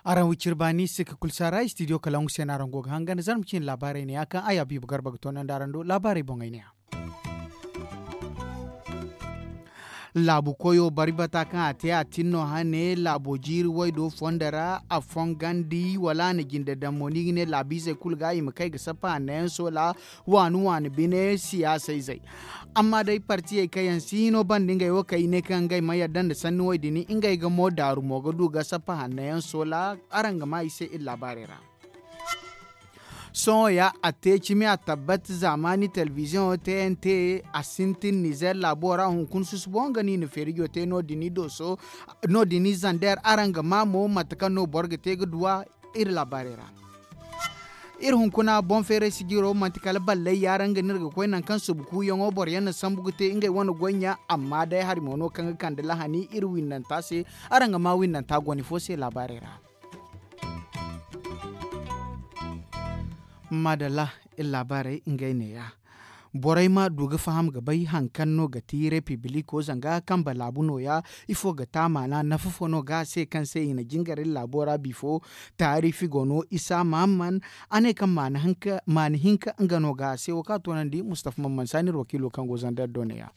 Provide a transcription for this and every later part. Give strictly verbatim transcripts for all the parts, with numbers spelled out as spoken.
Araŋ wiciri baani sikka kulu saara istidiyo kalaŋ se no araŋ go ga hangan zarma cine laabaarey ne ya kaŋ a ya biiba garba ga toonandi araŋ do laabaarey boŋey ne ya. Laabu koyo bari bata kaŋ a te a tin no hane laabo jiiri waydo fondo ra a fongandi wala a na jinde daŋ mo ni ga ne laabiizey kulu ga i ma kay ga sappa hanno yaŋ soola waani waani bine siyaasa izey. Amma day partiyey kaŋ yaŋ si hino banda ngey wo kaŋ i ne kaŋ ngey ma yadda nda sanni wo din ngey ga mo daaru mo ga du ga sappa hanno yaŋ soola. Araŋ ga maa i se iri laabaarey ra. Sohõ ya a te cimi a tabbat zaamaani telebiziyoŋo tnt a sintin nizer laabo ra hunkuna susubo nga no i na feerijo te no- din i zander araŋ ga maa mo mate kaŋ no boro ga te ga duw'a. Iri laabaarey ra iri hunkuna boŋ feeray sijiro manti kala balley yaaraŋ ga no iri ga koy nangu kaŋ subu kuuyaŋo boro yaŋ na sambu ga te ngey wane goy ɲa. Amma day hari mo no kaŋ ga kande lahani iri winnanta se. Araŋ ga maa winnanta goni fo se laabaarey ra. Maadalla, iri laabaarey ngey neeya. Borey ma du ga faham ga bay hari kaŋ no ga ti repibiliko zanga kambe laabu nooya. Ifo ga te a maana nafa fo no ga a se kaŋ se i na jingar iri laabo ra bifo? Taarifi go no isa mahamman. A ne kaŋ maana hinka nga no ga a se wo kaŋ a toonandi mustafa mamman saani iri wakiilo kaŋ go zander do neeya.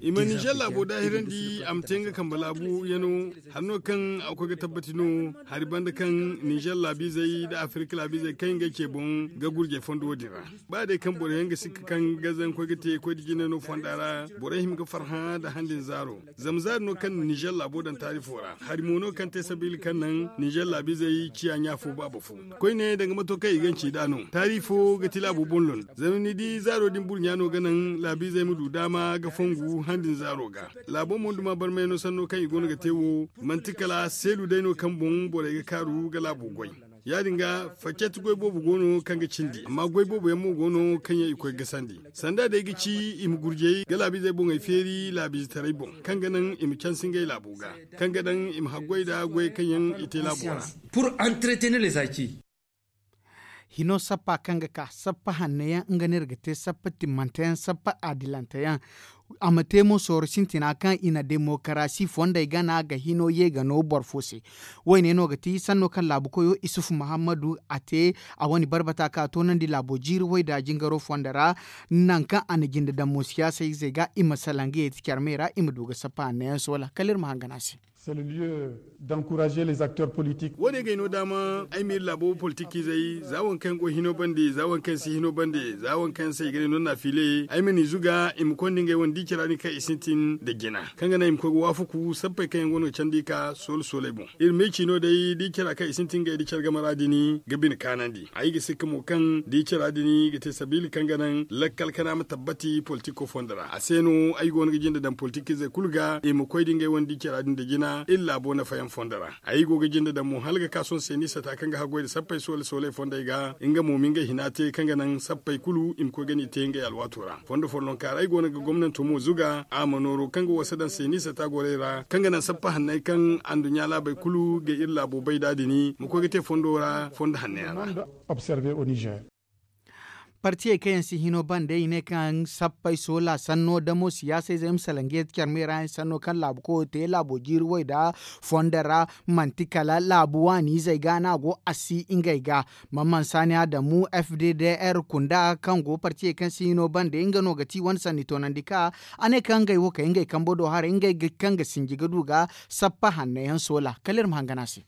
I ma nizer laabo daahirandi a ma te nga kambe laabu yano. Hari no kaŋ a ga koy ga tabbati no hari banda kaŋ nizer laabiizey nda afirka laabiizey kaŋ ngey ce boŋ ga gurjey fondo wo- din ra. Ba day kaŋ boro yaŋ ga sikka kaŋ ga zankoy ga te koy da jine no fonda ra, borey hima ga farhã nda handin zaaro. Zama zaari no kaŋ na nizer laabo daŋ taarifo ra hari mo no kaŋ te sabiila kaŋ naŋ nizer laabiizey ciya ɲa fo baaba fo. Koyne danga mato kaŋ i ganci nd'a no taari fo ga ti laabo boŋ londo. Zama ni di zaaro din burɲa no ga naŋ laabiizey ma du daama ga fongu handin zaaro ga. Laabo mo duma barmay no sanno kaŋ i go no ga te wo. Manti kala seelu day no kaŋ boŋ borey ga kaaru ga laabo goy. Ya- din ga faccet goy boobo go no kaŋ ga cindi amma goy boobo yaŋ mo go no kaŋ yaŋ i koy ga sandi. Sanda day ga ci i ma gurjey ga laabiizey boŋey feeri laabiizetaray boŋ kaŋ ga naŋ i ma cansi ngey laabo ga, kaŋ ga daŋ i ma haggoy nda goyey kaŋ yaŋ i te laabo ra. Pour entretenir les acquis. Hino sappa kaŋ ga ka sappa hanno yaŋ nga no iri ga te sappa timmante yaŋ sappa adilante yaŋ. A ma te mo sooro sintina kaŋ i na demokarasi fondey gana ga hino ye ga no boro fo se. Wo- ne no ga ti sanno kaŋ laabu koyo isufu muhammadu a te a wane barbata kaŋ a toonandi laabo jiiri wayda jingaro fondo ra. Nangu kaŋ a na jinde daŋ mo siyaasa izey ga i ma salaŋ ga yeeti care me ra i ma du ga sappa hanno yaŋ soola kala iri ma hangan a se. Wo- ne g'ay no daama ay ma iri laabo politik izey za waŋ kaŋ go hino bande za waŋ kaŋ si hino bande za waŋ kaŋ se i ga ne no naafile ay ma n'i zuga i ma konda ngey wane di cara din kaŋ i sintin nda jina kaŋ ga naŋ i ma koy ga waafaku sappey kaŋ yaŋ go no ga candi ka soole sooley boŋ. Iri ma ay ci no day di cara kaŋ i sintin ngey di care game ra din ga bine kaanandi ay ga sikka mo kaŋ di cara din ga te sabiila kaŋ ga naŋ lakkal kana ma tabbati politiko fondo ra a se no ay go no ga jinde daŋ politikiizey kulu ga i ma koy da ngey wane di cara din nda jina iri laabo nafayaŋ fondo ra. Ay go ga jinde daŋ mo hala ga ka sohõ se ni sata kaŋ ga haggoy nda sappey soole sooley fondey ga nga mo ma ngey hina te kaŋ ga naŋ sappey kulu i ma koy ga ni te ngey alwaato ra fondo follonka ra ay go no ga gomnanto mo zuga a ma nooro kaŋ ga wasa daŋ se ni sata gorey ra kaŋ ga naŋ sappa hanney kaŋ anduɲɲa laabey kulu ga iri laabo bay nd'a din ma koy ga te fondo ra fondo hanney ra. Partiyey kaŋ yaŋ si hino bande i ne kaŋ sappey soola sanno damo siyaasa izey ma salaŋ ga yeeti care me ra yaŋ sanno kaŋ laabu koyo te laabo jiiri way nda fondo ra manti kala laabu waani izey ga no a go a si ngey ga. Mamman saani adamu f d d r kunda kaŋ go partiyey kaŋ si hino bande nga no ga ti wane sanni toonandi ka a ne kaŋ ngey wo kay ngey kambo do haray ngey kaŋ ga sinji ga du ga sappa hanno yaŋ soola kala iri ma hangan a se.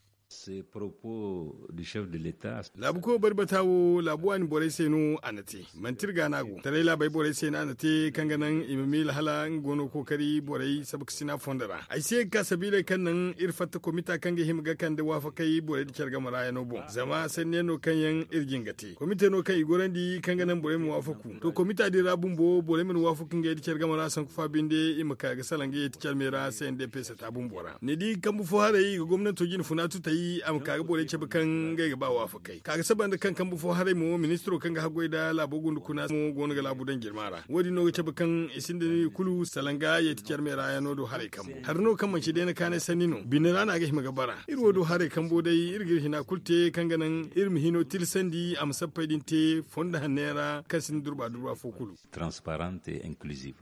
Laabu koyo bari bata wo laabu waani borey se no a na te manti iri ga no a go taray laabey borey se no a na te kaŋ ga naŋ i ma miila hala nga go no ga kookari borey sabakasina fondo ra ay si ye ga ka sabiiley kaŋ naŋ iri fatta komita kaŋ ga hima ga kande waafakey borey nda care game ra yaŋo boŋ zama sanni yaŋ no kaŋ yaŋ iri jin ga te komite no kaŋ i gorandi kaŋ ga naŋ borey ma waafaku to komita din ra bumbo borey mana waafaku ngey nda care game ra sanku fa binde i ma ka ga salaŋ ga yeeti care me ra se nda pesa ta bumbo ra ni di kambu fo haray i ga gomnanto jine funa tutay. A ma ka ga borey cabe kaŋ ngey ga ba waafakey ka ga saba nda kaŋ kambe fo haray mo ministiro kaŋ ga haggoy nda laabo gunda kuna mo go no ga laabu daŋ jirma ra. Wo- din no ga cabe kaŋ i sinda ni kulu salanga yeeti care meera yaŋ no do haray kambo hari no kaŋ manci day na kaanay sanni no bine ra no a ga hima ga bara. Iri wo do haray kambo day iri ga iri hina kulu te kaŋ ga naŋ iri ma hino tilasandi a ma sappey din te fondo hanney ra kaŋ sinda durba durba fo kulu. Transparente inclusive.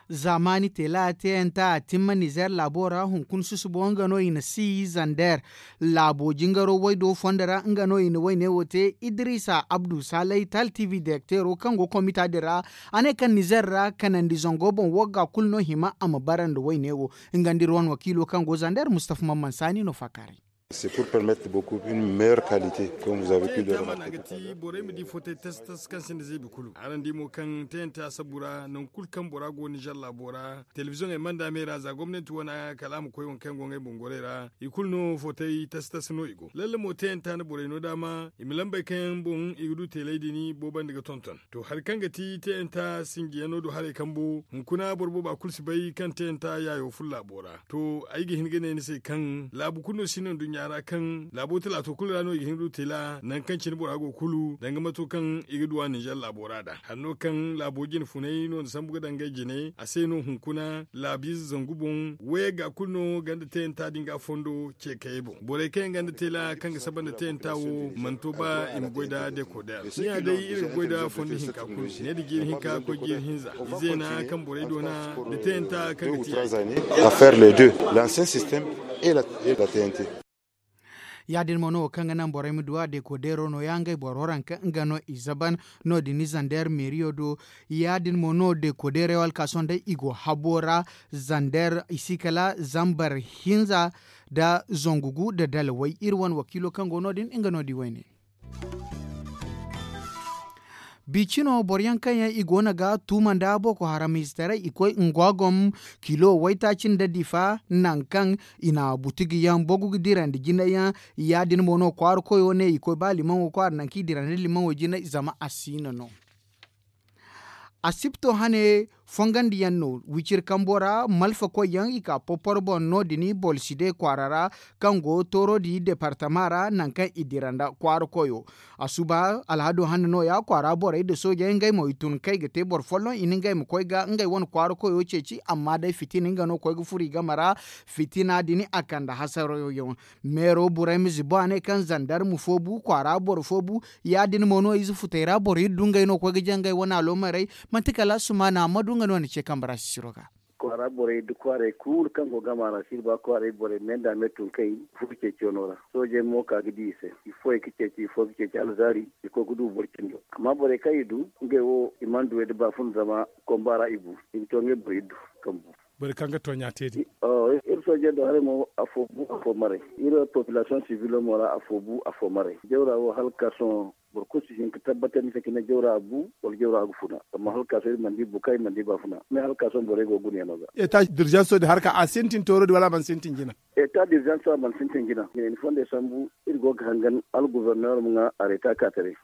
Zaamaani teela teeyanta a timma nizer laabo ra hunkuna susubo nga no i na si zander. Laabo jingaro waydo fondo ra nga no i na wayne wo te idrisa abdu salay tal tv direkteero kaŋ go komita din ra. A ne kaŋ nizer ra kanandi zango boŋ wagga kulu no hima a ma bara nda wayne wo. Nga nda iri wane wakiilo kaŋ go zander mustafa mamman saani no faakaaray. Borey ma di fotey tas tas kaŋ sinda zeebi kulu araŋ di mo kaŋ tayanta sabu ra nangu kulu kaŋ bora go nizer laabo ra telebiziyoŋey manda me ra za gomnanti wane kala a ma koy waŋ kaŋ yaŋ go ngey boŋ gorey ra i kulu no fotey tas tas no i go lalle mo tayanta na borey no daama i ma lambey kaŋ yaŋ boŋ i ga du teeley din boobandi ga tonton. To hari kaŋ ga ti tayanta sinjiyaŋ no do haray kambo hunkuna boro booba kulu si bay kaŋ tayanta yaayo ful laabo ra to ay ga hin ga ne ni se kaŋ laabu kulu no si no nduɲɲa ra kaŋ laabo talaato kulu ra no i ga hin ga du teela nangu kaŋ cine bora go kulu danga mato kaŋ i ga duwa ninzeer laabo ra da hari no kaŋ laabo jine funay no ni sambu ga danga ay jine a se no hunkuna laabiize zangu boŋ wayey ga kulu no ganda tayanta din ga fondo ce kayey boŋ borey kaŋ yaŋ ganda teela kaŋ ga saba nda tayanta wo mana to ba i ma goy nda dekoder ni ya day iri ga goy nda fondo hinka kulu ne da jiiri hinka koy jiiri hinza izeena kaŋ borey doona da tayanta kaŋ ga ti affaire les deux l'ancien système et la tayante. Ya- din mo no wo kaŋ ga naŋ borey ma duwa dekodeero no- ya ngey boro ranka nga no i zaban no- din ni zander meeriyo do. Ya- din mo no dekodeero alkaaso nda i go habo ra zander i si kala zambar hinza nda zangu gu nda dalawey iri wane wakiilo kaŋ go no- din nga no di wayne. Biicino boro yaŋ kaŋ yaŋ i go no ga tuuma nda boko haram izetaray i koy ngwagom kilo waytaaci nda difa nangu kaŋ i na butigi yaŋ bogu ga dirandi jinay yaŋ. Ya- din mo no kwaara koyo ne i koy ba limaŋo kwaara nangu kaŋ i dirandi limaŋo jinay zama a siina no. Asipto hane fongandiyaŋ no wiciri kambo ra malfa koyyaŋ i ka poporo boŋ no- din bolside kwaara ra kaŋ go tooro di departama ra nangu kaŋ i dira nda kwaara koyo. A suba alhado hane no- ya kwaara borey nda soojey ngey mo i tun kaŋ i ga te boro folloŋ i na ngey ma koy ga ngey wane kwaara koyo ceeci amma day fitina nga no koy ga furo i game ra. Fitina din a kande hasarayo yaŋ. Meero burayma zibo a ne kaŋ zandarma fo bu kwaara boro fo bu. Ya- din mo no ize futey ra boro iri du ngey no koy ga jangay wane aloomarey. Manti kala sumaana amma du nga no ni ce kambe ra sisiro ga. Kwaara borey da kwaaray kulu kaŋ go gama ra si iri ba kwaaray borey me nda me tun kay furo ceeciyo no ra soojey mo ka ga di i se. Ifo i ga ceeci ifo ga ceeci alzaari i koy ga du boro cindo amma borey kaŋ i du ngey wo i mana du way da baafuna zama komba ra i bu i ga to ngey boro iri du. Kaŋ bu borey kaŋ ga tooɲa te din. Iri soojey do haray mo afo bu afo maray. Iri population civilo mo ra afo bu afo maray jawra wo hala ga ka sohõ. Boro kulu si hin ga tabbatandi se cine jawra a bu wala jawra a ga funa amma hala ga ka sohõ iri mana di bukay mana di baafuna mais hala ga ka sohõ borey go ga guna yaŋo ga. Eta dirjanso din harka a sintin tooro din wala a mana sintin jina? Eta dirjanso a mana sintin jina. Iri fondey sambu iri go ga hangan algubernor ma ŋwa areta ka taray.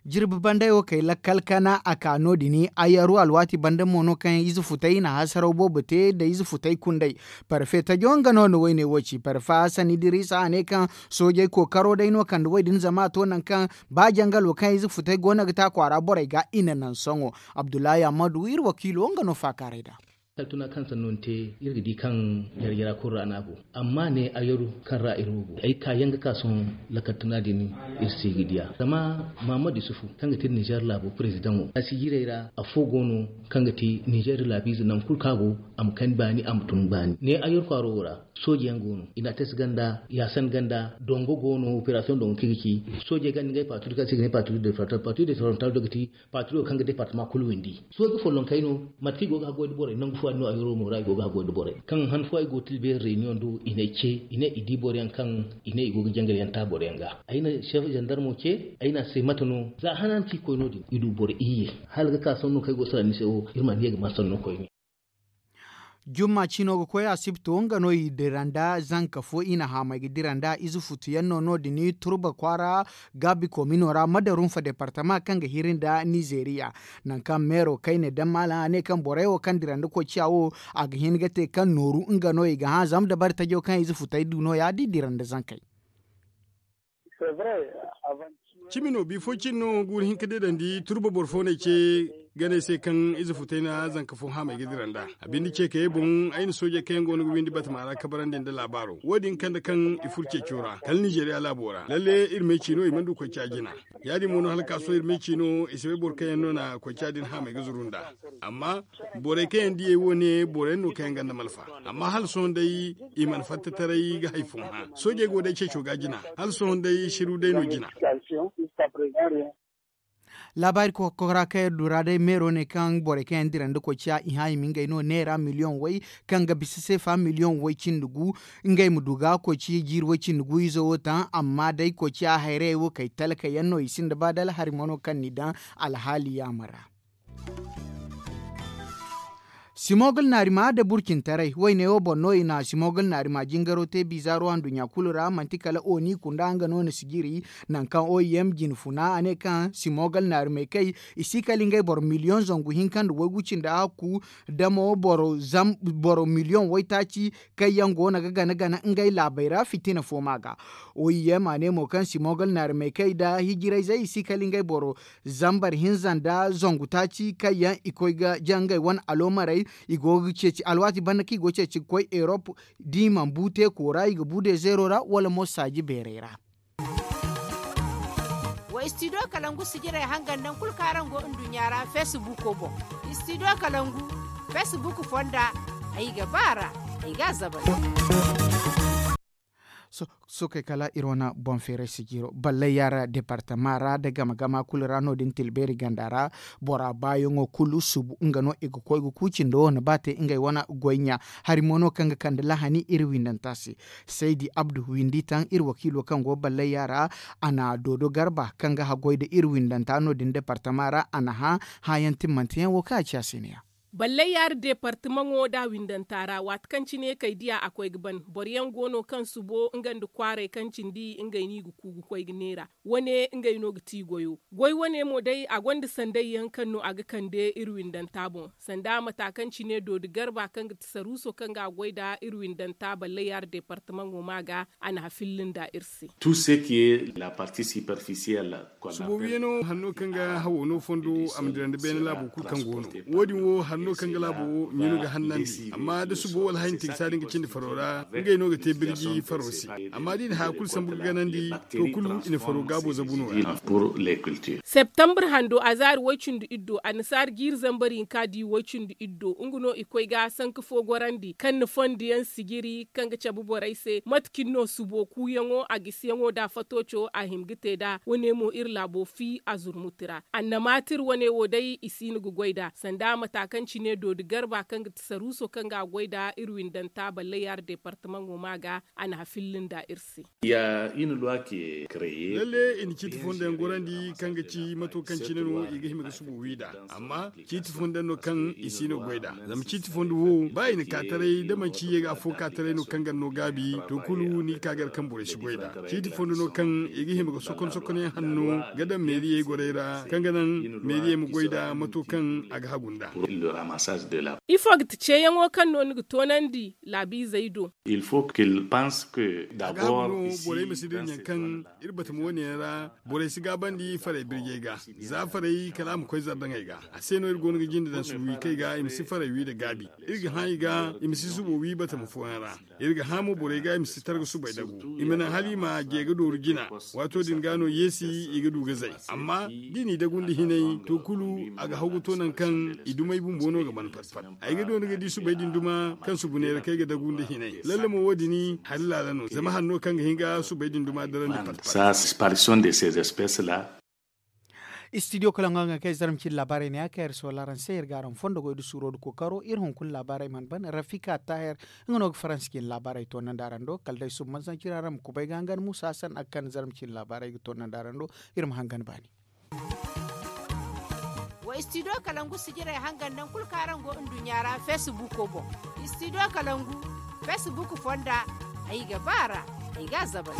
Jirbi bandey wo kay lakkal kana a ka no- din ayaru alwaati banda mo no kaŋ ize futay i na hasaraw boobo te nda ize futay kunday. Parfe tajo nga no na wayne wo ci parfe hasan idirisa a ne kaŋ soojey kookaro day no kande wo- din zama a to nangu kaŋ ba jangalo kaŋ ize futay go no ga te a kwaara borey ga i na naŋ sohõ. Abdullahi ammadu iri wakiilo nga no faakaaray nd'a. Kala tuna kaŋ sanno ni te iri ga di kaŋ jare-jara kulu ra no a go. Amma ne ayaru kaŋ ra iri wo go ay ga ka yaŋ ga ka sohõ. Lakkal tuna din iri se ga diya zama mahammad yusufu kaŋ ga te iri nizer laabo prezidaŋo a si jiirey ra. Afo go no kaŋ ga te nizer laabiize nangu kulu kaŋ a go a ma kani baani a ma tun baani ne ayaru kwaaro wo ra. Sooje yaŋ go no i na a te si ganda yaasan ganda dongo go no operasiyoŋ dongo kaŋ i ga ci. Soojey ganda ngey paaturi kaŋ se i ga ne paaturi de frontal paaturi de frontal do ga ti. Paatiro kaŋ ga departama kulu windi sohõ ga follonkey no. Mate kaŋ i go ga haggoy nda borey nangu fo yaŋ no a yoro mo ra i go ga haggoy nda borey kaŋ han fo ay go ga tilbeeri reyniyoŋ do i n'ay ce i ne i di boro yaŋ kaŋ i ne i go ga jangal yaŋ ta boro yaŋ ga. Ay na seef zandarmo ce ay ne a se mate no za hana no kaŋ i koy no- din i du boro iyye. Hala ga ka sanno kaŋ ay go ga salaŋ ni se wo iri mana ye ga ma sanno koyne. Jumma ciino ga koy asibto nga no i dira nda zanka fo i na haamay ga dira nda ize futu yaŋ no no- din turba kwaara gaabi komino ra madarunfa departama kaŋ ga hiri nda nizeeriya. Nangu kaŋ meero kayne daŋ maalaŋ a ne kaŋ borey wo kaŋ dira nda koy ciya wo a ga hin ga te kaŋ nooru nga no i ga hã zama dabari tajo kaŋ ize futey du no- ya da i dira nda zankey. Cimi no bifo cine no guuru hinka deedandi turba boro fo no ay ce ganey se kaŋ ize futay na zanka fo haamay ga dira nd'a. A binde ce kayey boŋ ay na soojey kaŋ yaŋ go no ga windi batama ra kabarandi nda laabaaro wo- din kande kaŋ i furo ceeco ra kala nizeeriya laabo ra lalle iri me ciino i mana du koy ca jina. Ya- din mo no hala ka sohõ iri me ciino i si bay boro kaŋ yaŋ no na koy ca din haamay ga zuru nd'a. Amma borey kaŋ yaŋ diyey wo- ne boro yaŋ no kaŋ yaŋ gonda malfa. Amma hala sohõ day i mana fatta taray ga hari fo hã soojey go day ceeco ga jina. Hala sohõ day siru day no jina. Laabaari kokora kaŋ iri du ra day meero ne kaŋ borey kaŋ yaŋ dira nda koy ciya i hã i ma ngey no neera miliyoŋ way kaŋ ga bisa seefa miliyoŋ way cindi gu. Ngey ma du ga koy ciya jiiri way cindi gu izo wo taŋ amma day koy ciya hayrayey wo kay talka yaŋ no i sinda ba da alhari mo no kaŋ n'i daŋ alhaali yaama ra. Simogol naarima da burcintaray wayne wo boŋ no i na simogol naarima jingaro te bizaaro handuɲɲa kulu ra manti kala oni kunda nga no na sijiri. Nangu kaŋ oim jine funa a ne kaŋ simogol naarimey kay i si kala ngey boro miliyoŋ zangu hinka nda waygu cindi hakku damo boro miliyoŋ waytaaci kaŋ yaŋ go no ga gana gana ngey laabey ra fitina fo ma ga. Oim a ne mo kaŋ simogol naarimey kay nda hijirayzey i si kala ngey boro zambar hinza nda zangu taaci kaŋ yaŋ i koy ga jaŋ ngey wane aloomarey. I go ga ceeci alwaati banda kaŋ i go ga ceeci ga koy erop da i mana bu teeko ra i ga bu dezeero ra wala mo saaji beerey ra. Wa istidiyo kalangu sijirey hangan nangu kulu kaŋ araŋ go nduɲɲa ra feesibuuko boŋ. Istidiyo kalangu feesibuuk fonda ay ga ba a ra. Ay ga a zabari. Sookey kala iri wane boŋ feeray sijiro balley yaara departama ra nda gama gama kulu ra no- din tilbeeri ganda ra. Bora baayaŋo kulu subu nga no i ga koy ga kuuci nda wo na ba te ngey wane goy ɲa. Hari mo no kaŋ ga kande lahani iri windanta se. Saydi abdu windi taŋ iri wakiilo kaŋ go balley yaara. A na doodo garba kaŋ ga haggoy nda iri windanta no- din departama ra a na hã hãyaŋ timmanteyaŋ wo kaŋ a ci a se ne- ya. Balley yaari departamaŋo da windanta ra waati kaŋ cine kay diya a koy ga ban boro yaŋ go no kaŋ subo nga nda kwaaray kaŋ cindi ngey no i ga ku ga koy ga neera. Wane ngey no ga ti goyo goy wane mo day a gonda sanday yaŋ kaŋ no a ga kande iri windanta boŋ. Sanda mata kaŋ cine doodi garba kaŋ ga ti saruuso kaŋ ga a goy nda iri windanta balley yaari departamaŋo ma ga a na hafilli nda iri se. Subo wiyano hanno kaŋ ga hawo no fondo a ma dira nda beene laabo kulu kaŋ go no. Wo- din wo hanno kaŋ ga laabo wo ɲunu ga hannandi amma da subo wala hayanti ga saadi nga cindi faro ra ngey no ga te birji faro se. Amma da i na haya kulu sambu ga ganandi to kulu i na faro gaabo zabu no- ya. Septambur hando a zaari woy-cindi iddo annasaari jiiri zambar hinka di woy-cindi iddo nga no i koy ga sanka fo gorandi kaŋ na fondo yaŋ sijiri kaŋ ga cabe borey se mate cine no subo kuuyaŋo a gisiyaŋo nda fatooco a hima ga te nd'a wane mo iri laabo fi a zurmuti ra. Annamaatir wane wo day i si no ga goy nd'a sanda mata kaŋ cine doodi garba kaŋ ga ti saruuso kaŋ ga a goy nd'a iri windanta balley yaari departamaŋo ma ga a na hafilli nda iri se. Lalle i na ciiti fondo yaŋ gorandi kaŋ ga ci mato kaŋ cine no i ga hima ga subo wi nd'a. Amma ciiti fondo yaŋ no kaŋ i si no goy nd'a zama ciiti fondo wo ba i na ka taray da manci ye ga afo ka taray no kaŋ ga no gaabi to kulu ni ga ka gar kaŋ borey si goy nd'a. Ciiti fondo no kaŋ i ga hima ga sokon sokon yaŋ hanno ga daŋ meeriyey gorey ra kaŋ ga naŋ meeriyey ma goy nd'a mato kaŋ a ga hagu nd'a. Ifo ga ti ceeyaŋo kaŋ no ni ga toonandi laabiizey do? A ga hagu no borey ma si dira ɲaŋ kaŋ iri batama wane yaŋ ra borey si gaabandi farey birjey ga. Za farey kala a ma koy zardaŋey ga. A se no iri go no ga jinde daŋ subu wi kay ga i ma si farey wi nda gaabi. Iri ga hã i ga i ma si subo wi batama fooyaŋ ra. Iri ga hã mo borey ga i ma si targa subay dagu i ma naŋ hala i ma je ga dooru jina. Waato din ga no yeesi i ga du ga zay. Amma da i n'i dagu nda hinay to kulu a ga haw ga to nangu kaŋ i dumey bumbo no ga ban pat pat. Ay ga doona ga di subay din duma kaŋ subu neera kaŋ ay ga dagu nda hinay lalle mo wo- din hari laala no zama hari no kaŋ ga hin ga subay din duma darandi pat pat. Istidiyo kala ŋwa ga kay zarma cine laabaarey ne ya kaŋ iri sohõ araŋ se iri ga araŋ fondo goy da suuro da kookaro iri hunkuna laabaarey mana ban rafika taahir. Nga no ga faransi cine laabaarey toonandi araŋ do kala day suba mansancira araŋ ma kubay ga hangan muusa hasan a ga kande zarma cine laabaarey ga toonandi araŋ do. Iri ma hangan baani. Wa Istidiyo kalangu sijirey hangan naŋ kulu kaŋ araŋ go nduɲɲa ra feesibuuko boŋ. Istidiyo kalangu feesibuuk fonda, ay ga ba a ra, ay ga a zabal.